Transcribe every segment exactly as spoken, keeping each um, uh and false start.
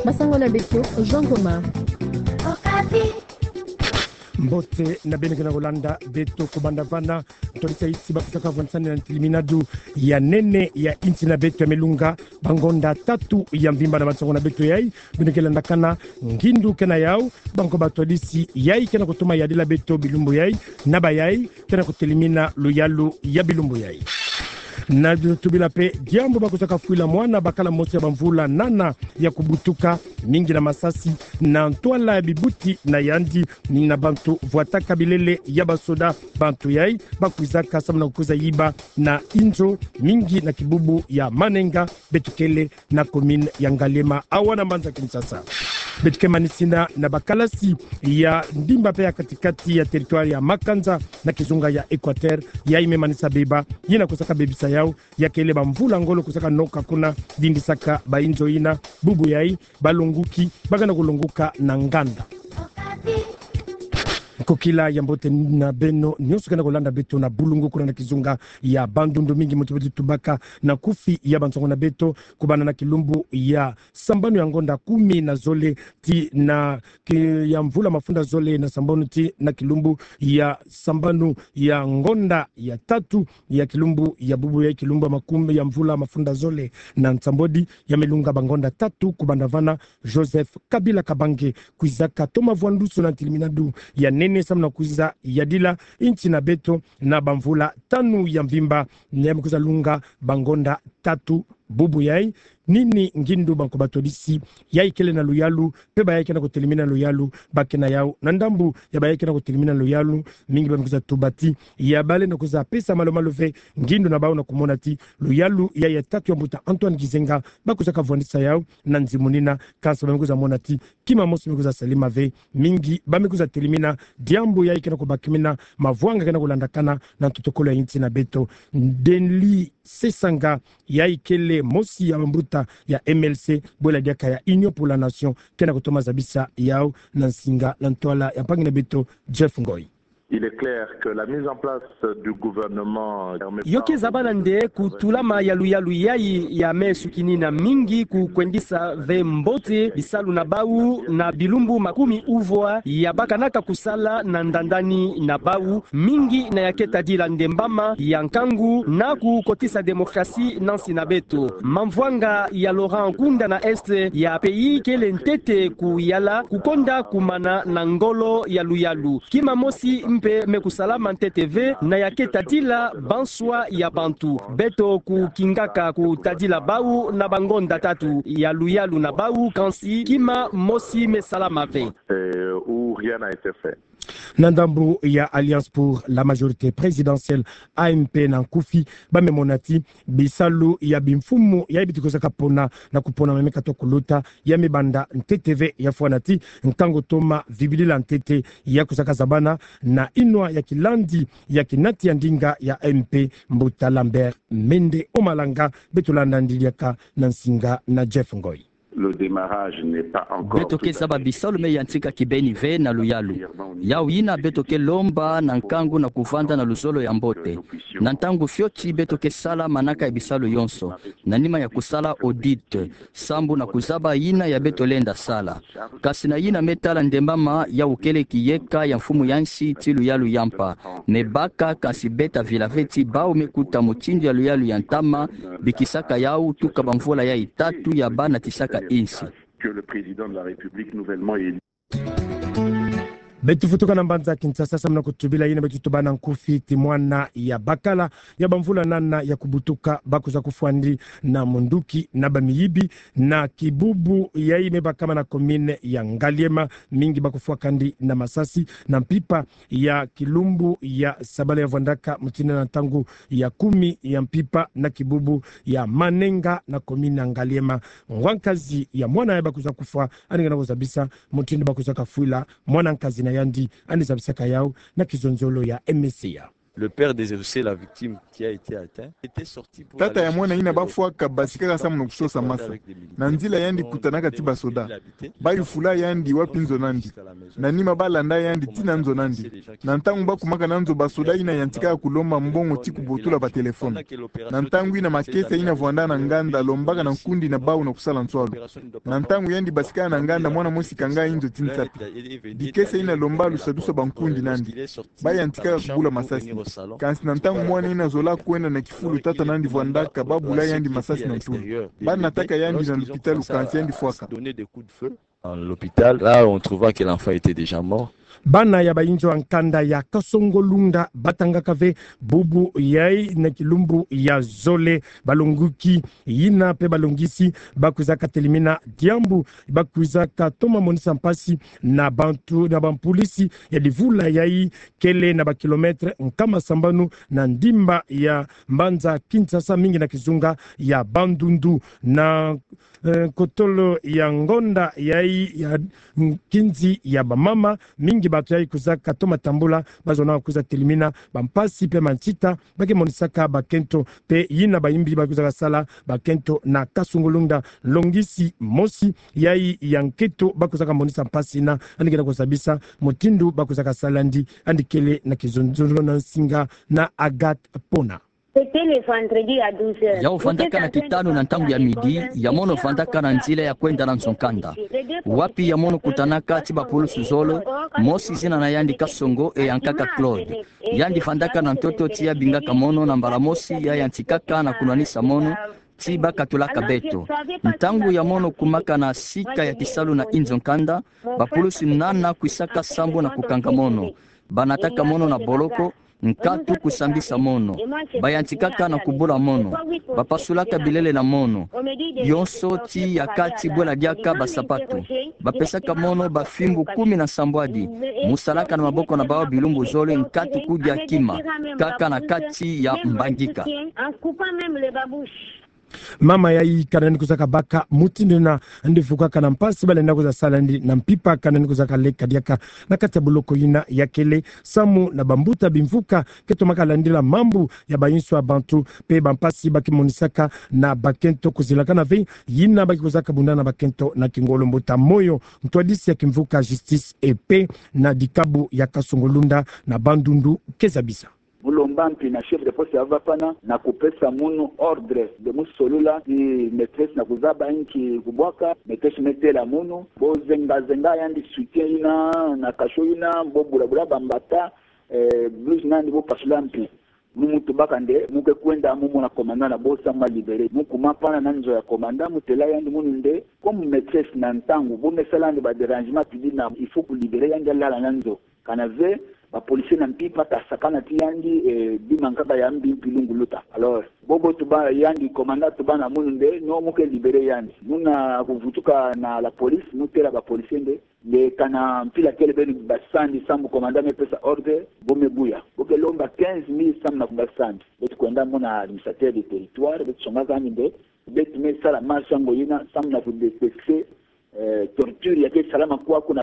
Basango na beto, Jean Goma. Mbote na beno ke na kolanda beto kubanda vana. Ntwadisi ya insi bakusaka vwanisani na ntilimina-du ya nene ya insi na beto ya melunga bangonda tatu ya mvimba. Na bansango na beto yai, beno ke landakana ngindu ke na yau, banko batwadisi yai ke na kutoma yadila beto bilumbu yai, na bayai ke na kutelimina luyalu ya bilumbu yai. Na tubila mpe diambu bakusaka fwila mwana bakala mosi ya bamvula nana ya kubutuka, mingi na masasi, na ntwala ya bibuti na yandi, na bantu vwataka bilele ya basoda. Bantu yai bakwizaka samu na kukwiza yiba na inzo, mingi na kibubu ya Manenga, beto kele na commune ya Ngaliema, awa na mbanza Kinshasa. Beto ke manisina na bakalasi ya ndimba mpe ya katikati ya territoire ya Makanza na kizunga ya Equateur, yai me manisa beba, yina kusaka bebisa yau, ya kele bamvula ngolo kusaka noka kuna, dindisaka bainzo yina, bubu yai, balonguki, baka na kulonguka na nganda. Nkokila ya mbote na beno nyonso ke na kolanda beto na bulungu kuna na kizunga ya Bandundu. Mingi mutu beto tubaka na nkufi ya bansango na beto, kubanda na kilumbu ya sambanu ya ngonda kumi na zole tii na ki-, ya mvula mafunda zole na sambanu tii na kilumbu ya sambanu ya ngonda ya tatu ya kilumbu ya bubu yai, kilumbu ya makumi ya mvula mafunda zole na nsambwadi, ya melunga bangonda tatu kubanda vana, Joseph Kabila Kabange kwizaka toma vwa ndusu na ntilimina-du ya nene samu na kwiza yadila insi na beto na bamvula tanu ya mvimba, na ya me kwiza lunga bangonda tatu bubu yai. Nini ngindu banko batwadisi yai kele na luyalu, mpe bayai ke na kutelimina luyalu, ba ke na yau? Na ndambu ya bayai ke na kutelimina luyalu, mingi ba me kwiza tuba ti ya balendi kwiza pesa malu-malu ve ngindu na bau, na kumona ti luyalu ya, ya tatu ya mbuta Antoine Gizenga bakusaka vwandisa yau na nzimunina, kansi ba me kwiza mona ti kima mosi me kwiza salama ve. Mingi ba me kwiza telimina diambu yai ke na kubakimina, mavwanga ke na kulandakana na ntotokolo ya insi na beto. Denli Sesanga, yai kele mosi ya bambuta ya M L C, bwela diaka ya Union pour la Nation, ke na kutoma zabisa yau na nsinga na ntwala ya mpangi na beto Jeff Ngoy. Il est clair que la mise en place du gouvernement permet pas... Yo ke zabana nde kutulama ya luyalu yai ya me sukinina mingi kukwendisa ve mbote bisalu na bau na bilumbu makumi uvwa ya bakanaka kusala na ndandani na bau, mingi na ya ke tadila ndembama ya nkangu na kukotisa démocratie na nsi na beto. Mamvwanga ya Laurent Nkunda na Est ya pays kele ntete kuyala, kukonda kumana na ngolo ya luyalu. Kima mosi mpe me kusalama ntete ve na ya ke tadila banswa ya bantu. Beto kukingaka kutadila bau na bangonda tatu ya luyalu na bau, kansi kima mosi me salama ve. Euh, où rien n'a été fait. Na ndambu ya Alliance pour la majorité présidentielle, A M P na nkufi, ba me mona ti bisalu ya bimfumu yai beti kusaka pona na kupona ma me katuka kuluta, ya me banda ntete ve, ya fwana ti nkangu toma vibilila ntete ya kusaka zabana na inwa ya kilandi ya kinati ya ndinga ya A M P, mbuta Lambert Mende Omalanga. Beto landa ndiri diaka na nsinga na Jeff Ngoy. Le démarrage n'est pas encore... Beto ke zaba bisalu me yantika kibeni ve na luyalu. Yau yina beto ke lomba na nkangu na kuvanda na luzolo ya mbote. Na ntangu fioti beto ke sala manaka ya bisalu yonso, na nima ya kusala audit, sambu na kuzaba yina ya beto lenda sala. Kansi na yina me tala ndembama, yau kele kiyeka ya mfumu ya nsi tii luyalu ya mpa. Me baka, kansi beta vila ve ti bau me kuta mutindu ya luyalu ya ntama bikisaka yau tuka bamvula yai tatu ya banatisaka insi. Que le président de la République nouvellement élu. Beto futuka na mbanza Kinshasa samu na kutubila yina beto tuba na nkufi ti mwana ya bakala ya bamvula nana ya kubutuka ba kwiza kufwandi na munduki na bamiyibi na kibubu yai me bakama na commune ya Ngaliema. Mingi ba kufwakandi na masasi na mpimpa ya kilumbu ya sabala ya vwandaka, mutindu na ntangu ya kumi ya mpimpa, na kibubu ya Manenga na commune ya Ngaliema. Ngwa nkazi ya mwana ya ba kwiza kufwa, yandi ke na kuzabisa mutindu ba kwizaka fwila mwana nkazi na yandi, yandi zabisaka yau na kizonzolo ya M C A. Le père désossé, la victime qui a été atteint, était sorti pour aller chercher de l'eau. Tata ya mwana yina bafwaka basikaka samu na kusosa masa. Na nzila yandi kutanaka ti basoda. Bayufula yandi wapi nzo nandi. Na nima balanda yandi tii na nzo nandi. Na ntangu bakumaka na nzo, basoda yina yantikaka kulomba mbongo ti kubotula batelefone. Na ntangu yina makesa yina vwanda na nganda lombaka na nkundi na bawu na kusala nswalu. Na ntangu yandi basikaka na nganda, mwana mosi kanga nzo ti nsapi. Bikesa yina lomba lusadusa bankundi nandi. Bayantikaka kubula masasi. Kansi na ntangu mwana yina zola kwenda na kifulu tata nandi vwandaka, babula yandi masasi na ntulu. Banataka yandi na lupitalu kansi yandi fwaka. Dans l'hôpital, là, on trouva que l'enfant était déjà mort. Bana ya bayinzo ya nkanda ya Kasongo-Lunda batangaka ve bubu yayi na kilumbu ya zole. Balonguki yina pe balongisi bakwizaka telimina diambu, bakwizaka toma monisa mpasi na bantu, na bampulisi ya divula yayi kele na ba kilomètre nkama sambanu na ndimba ya mbanza Kinshasa, mingi na kizunga ya Bandundu. Na eh, kotolo ya ngonda yayi ya nkinzi ya bamama, mingi bato yayi kwizaka toma tambula, bazona kwiza telimina bampasi pe mansita bake monisaka bakento, pe yina bayimbi bakwizaka sala bakento na Kasongo-Lunda. Longisi mosi yayi ya nkento bakwizaka monisa mpasi yina, yandi ke na kuzabisa mutindu bakwizaka sala yandi, yandi kele na kizonzolo na nsinga na Agathe Pona. C'était le vendredi à douze heures. Yau vandaka na kitanu na ntangu ya midi, ya mono vandaka na nzila ya kwenda na nzo-nkanda. Wapi ya mono kutanaka ti bapulusu zole, mosi zina na yandi Kasongo, e ya nkaka Claude. Yandi vandaka na ntoto ti ya bingaka mono, na mbala mosi ya yantikaka na kunwanisa mono, ti bakatulaka beto. Ntangu ya mono kumaka na sika ya kisalu na inzo-nkanda, bapulusu nana kwisaka sambu na kukanga mono. Banataka mono na boloko, nkatu kusambisa mono. Bayantikaka na kubula mono. Bapasulaka bilele na mono. Bionso ti ya kati bwela diaka basapatu. Bapesaka mono bafimbu kumi na sambwadi. Musalaka na maboko na bawu bilumbu zole, nkatu kudia kima. Kaka na kati ya mbangika. Mama yayi kana ni kuzaka baka mutindu yina, yandi vukaka na mpasi, balenda kwiza sala yandi na mpimpa, kana ni kuzaka leka diaka na kati ya boloko yina ya kele, samu na bambuta bimvuka ke tomaka landila mambu ya bayinso ya bantu, pe bampasi bake monisaka na bakento, kuzilakana ve yina bake kuzaka bunda na bakento na kingolo. Mbuta Moyo, ntwadisi ya kimvuka Justice et Paix na dikabu ya Kasongo-Lunda na Bandundu, ke zabisa. Mu lomba mpi na chef de poste ya Vapana na kupesa munu ordre de mu solola ti maîtresse na kuzaba inki kubwaka. Maîtresse me têla munu: bo zenga zenga yandi soutien yina na cachot yina, bo bula bula bambata, eh, blouse na yandi bo pasula mpi. Munu mu tubaka nde mu ke kwenda mu mona commandant na bo samu ma libérer. Mu kuma pana na nzo ya commandant, mu têla yandi munu nde: comme maîtresse na ntangu bo me sala yandi ba dérangement, tu dis na il faut ku libérer yandi, alala na nzo. Kana ve, ba policier na mpimpa ta sakana ti yandi, eh, bima nkaka ya mbi mpi lunguluta. Alors, bobo tuba yandi, commandant tuba na munu nde: non, mu ke libérer yandi. Muna kuvutuka na la police, mu têla ba policier nde: nde kana mpila kele beno basa yandi samu commandant me pesa ordre, bo me buya. Bo ke lomba quinze mille samu na kubasa yandi. Beto kwenda mona administrateur de territoire, beto songaka yandi nde beto me sala marche yango yina samu na ku détecter, eh, torture ya ke salama kwaku na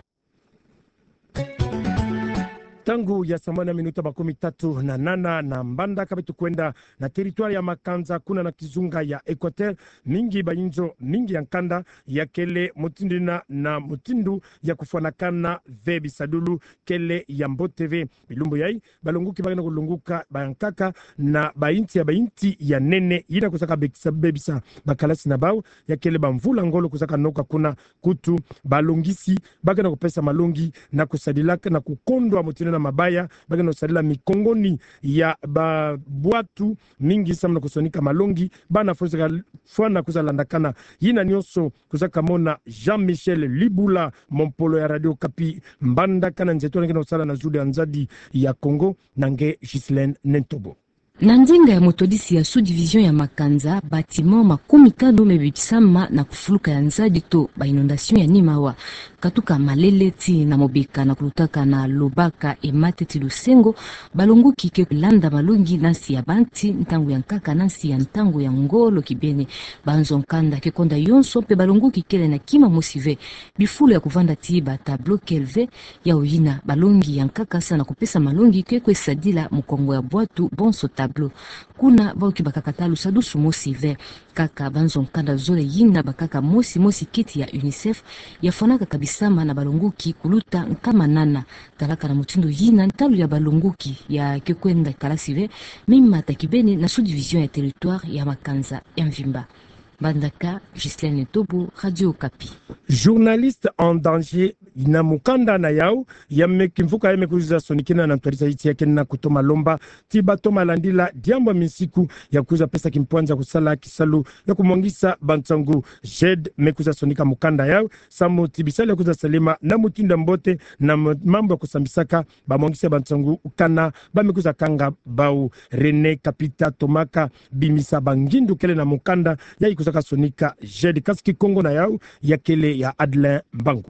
Ntangu ya sambanu na minuta makumi tatu na nana na mbandaka, beto kwenda na territoire ya Makanza, kuna na kizunga ya Equateur. Mingi bayinzo, mingi ya nkanda ya kele mutindu yina na mutindu ya kufwanakana ve, bisadulu kele ya mbote ve. Bilumbu yayi, balonguki bake na kulonguka bayankaka na bayinti ya, bayinti ya nene yina kuzaka bekisa, bebisa bakalasi na bawu, ya kele bamvula ngolo kuzaka noka kuna. Kutu, balongisi bake na kupesa malongi na kusadilaka na kukondwa mutindu yina mabaya, bake na kusadila mikongoni ya babwatu mingi samu na kusonika malongi. Bana fo zaka fwana kwiza landakana yina nyonso, kuzaka mona Jean-Michel Libula, mompolo ya Radio Okapi, mbandaka na nzeto, na nge na kusala na zulu ya nzadi ya Kongo, na nge Ghislaine Nentobo. Na nzenga ya motodisi ya sous-division ya Makanza, bâtiment makumi tanu me bebisama na kufuluka ya nzadi to ba inondation ya Nimawa. Katuka malele tii na mobeka na kulutaka na lobaka e mate ti lusengo, balongoki ke landa malongi na nsi ya banti, ntangu ya nkaka na nsi ya ntangu ya ngolo kibeni. Banzo nkanda ke konda yonso mpe balongoki kele na kima mosi ve. Bifulu ya kuvanda tii ba tableau kele ve, yau yina balongi ya nkaka sa na kupesa malongi ke kwe sadila mukongo ya bwatu bonso tableau. Kuna bau ke bakaka ta lusadusu mosi ve. Kaka banzo nkanda zole yina bakaka mosi mosi kiti ya UNICEF, ya fwanaka kabisama na balongoki kuluta nkama nana. Talaka na mutindu yina ntalu ya balongoki ya ke kwenda kalasi ve, mi mata kibeni na sous-division ya territoire ya makanza ya mvimba. Mbandaka, Ghislaine Tobo, Radio Okapi. Journaliste en danger, na mukanda na yau, ya me kimvuka ya me kuza sonikina na ntwari zaiti ya kena kutoma lomba, ti batoma landila diambu ya minsiku ya kuza pesa kimpwanza kusala kisalu ya kumwangisa bansangu. JED me kuza sonika mukanda yau, samu ti bisalu ya kuza salema na mutindu ya mbote na m-, mambu ya kusambisaka bamwangisi ya bansangu kana ba me kuza kanga bau. René Kapita tomaka bimisa bangindu kele na mukanda ya ikuzaka sonika JED, kasi kikongo na yau ya kele ya Adelin Mbangu.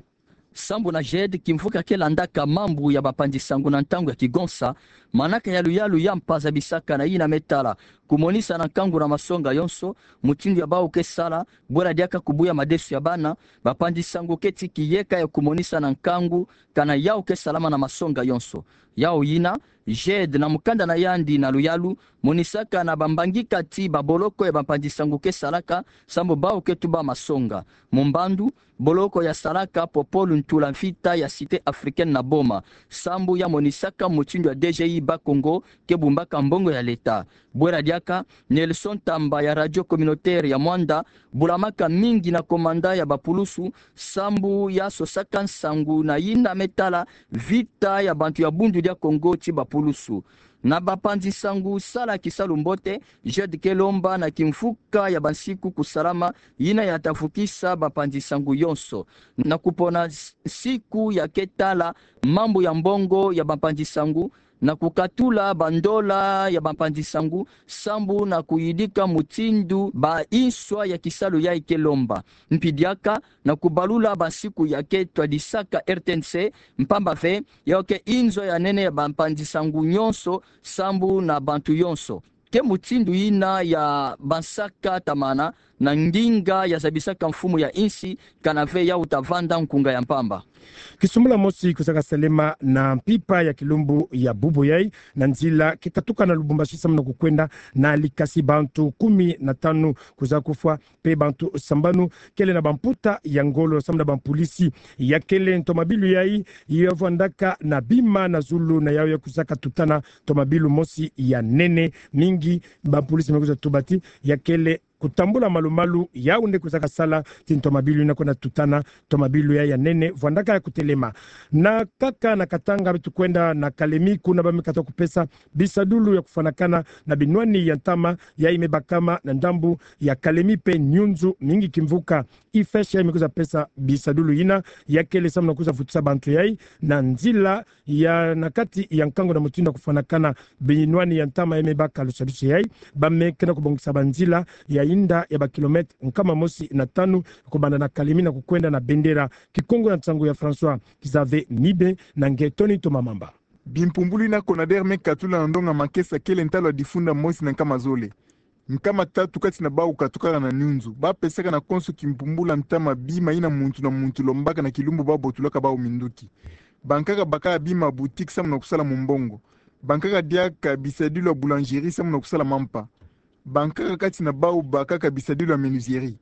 Sambu na JED, kimvuka ke landaka mambu ya bampanzi sangu na ntangu ya kigonsa, manaka ya luyalu ya mpa zabisaka na yina me tala kumonisa na nkangu na masonga yonso, mutindu ya bau ke sala, bwela diaka kubuya madesu ya bana, bampanzi sangu ke ti kiyeka ya kumonisa na nkangu kana yau ke salama na masonga yonso. Yau yina, JED na mukanda na yandi na luyalu, monisaka na bambangi kati baboloko ya bampanzi sangu ke salaka, sambu bau ke tuba masonga. Mumbandu, boloko ya salaka Popol Ntula Mfita ya Cité Africaine na Boma, sambu ya monisaka mutindu ya DGI Bas-Congo ke bumbaka mbongo ya leta. Bwela diaka, Nelson Tamba ya Radio Communautaire ya Muanda, bulamaka mingi na komanda ya bapulusu, sambu ya sosaka nsangu na yina me tala vita ya bantu ya Bundu dia Kongo ti bapulusu. Na bampanzi sangu sala kisalu mbote, JED ke lomba na kimvuka ya bansiku kusalama, yina ya ta vukisa bampanzi sangu yonso. Na kupona s-, nsiku ya ke tala mambu ya mbongo ya bampanzi sangu, na kukatula bandola ya bampanzi sangu, sambu na kuyidika mutindu ba inswa ya kisalu ya ke lomba. Mpi diaka, na kubalula bansiku ya ke twadisaka RTNC, mpamba ve, yau ke inzo ya nene ya bampanzi sangu yonso, sambu na bantu yonso. Ke mutindu yina ya bansaka tamana na nginga ya zabisaka mfumu ya insi, kana ve yau ta vanda nkunga ya mpamba. Kisumbula mosi kuzaka salema na mpimpa ya kilumbu ya bubu yai, na nzila ke katuka na Lubumbashi samu na kukwenda na Likasi, bantu kumi na tanu kuza kufwa, mpe bantu sambanu kele na bamputa ya ngolo samu na bampolisi. Ya kele ntomabilu yai, ya vwandaka na bima na zulu na yau ya kuzaka tutana ntomabilu mosi ya nene mingi. Bampolisi me kuza tuba ti ya kele kutambula malu-malu yau nde kuzaka sala ti ntomabilu yina kwenda tutana ntomabilu yai ya nene vwandaka ya kutelema. Na kaka na Katanga, beto kwenda na Kalemi, kuna ba me kata kupesa bisadulu ya kufwanakana na binwani ya ntama yai me bakama na ndambu ya Kalemi mpe Nyunzu, mingi kimvuka. IFESH yai me kuza pesa bisadulu yina, ya kele samu na kuza vutisa bantu yai na nzila ya na kati ya nkangu na mutindu ya kufwanakana binwani ya ntama yai me baka lusadusu yai. Ba me kena kubongisa banzila ya inda ya bakilomètre nkama mosi na tanu, kubanda na Kalemi na kukwenda na Bendera. Kikongo ya nsangu ya François Xavier Mibe na nge Tony Ntomamamba. Bimpumbulu yina CONADER me katula na ndonga makesa kele ntalu ya difunda mosi na nkama zole. Nkama tatu kati na bau katukaka na Nyunzu. Ba pesaka na konso kimpumbula ntama bima yina muntu na muntu lombaka na kilumbu ba botulaka bau minduki. Bankaka bakaka bima boutique samu na kusala mumbongo. Bankaka diaka bisadilu ya boulangerie samu na kusala mampa. Bankaka kati na bau bakaka bisadilu ya menuiserie.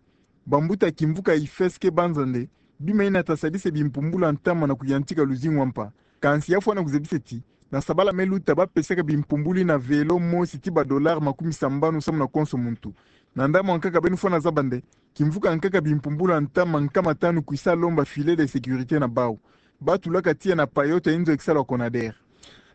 Bambuta kimvuka IFESH ke banza nde bima yina ta sadisa bimpumbula ntama na kuyantika luzingu wa mpa. Kansi ya fwana kuzebisa ti, na sabala me luta ba pesaka bimpumbulu yina vélo mosi ti ba dollars makumi sambanu samu na konso muntu. Na ndambu ankaka beno fwana zaba nde, kimvuka nkaka bimpumbula ntama nkama tanu kwisa lomba filet de sécurité na bau. Ba tulaka tiya na payote ya inzo ya kisalu ya CONADER.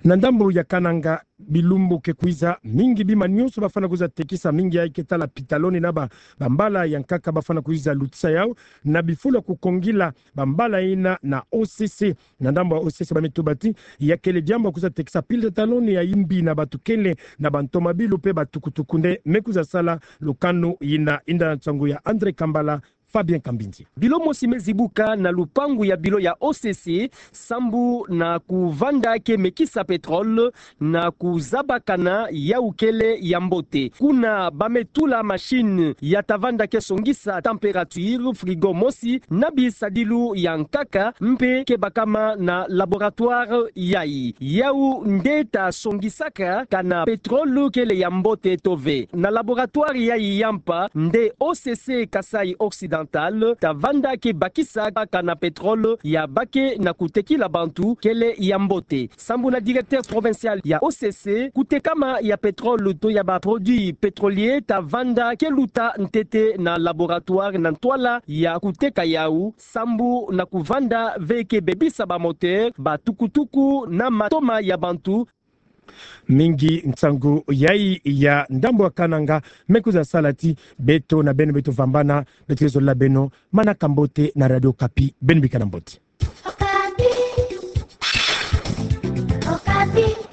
Na ndambu ya Kananga, bilumbu ke kwiza, mingi bima nyonso ba fwana kuza tekisa, mingi yai ke tala pitaloni na ba, bambala ya nkaka ba fwana kuza lutisa yau, na bifulu ya kukongila bambala yina na OCC. Na ndambu ya OCC ba me tuba ti ya kele diambu ya kuza tekisa pitaloni ya imbi na bantu kele na bantomabilu mpe batukutuku nde me kuza sala lukanu yina. Inda na nsangu ya André Kambala, Fabien Kambindi. Bilo mosi me zibuka na lupangu ya bilo ya O C C, sambu na kuvanda ke mekisa pétrole, na kuzabakana yau kele ya mbote. Kuna ba me tula machine ya ta vanda ke songisa température, frigo mosi, na bisadilu ya nkaka, mpe ke bakama na laboratoire yayi. Yau nde ta songisaka kana pétrole kele ya mbote to ve. Na laboratoire yayi ya mpa, nde O C C Kasaï Occidental, ta vanda ke bakisa kana pétrole ya bake na kutekila bantu kele ya mbote. Sambu na directeur provincial ya O C C, kutekama ya pétrole to ya ba produits pétroliers ta vanda ke luta ntete na laboratoire na ntwala ya kuteka yau, sambu na kuvanda ve ke bebisa ba moteur, ba tukutuku na matoma ya bantu. Mingi nsangu yayi ya ndambu ya Kananga, me kwiza sala ti beto na beno beto vambana, beto ke zolila beno manaka mbote na Radio Okapi, beno bikana mbote. Okapi. Okapi.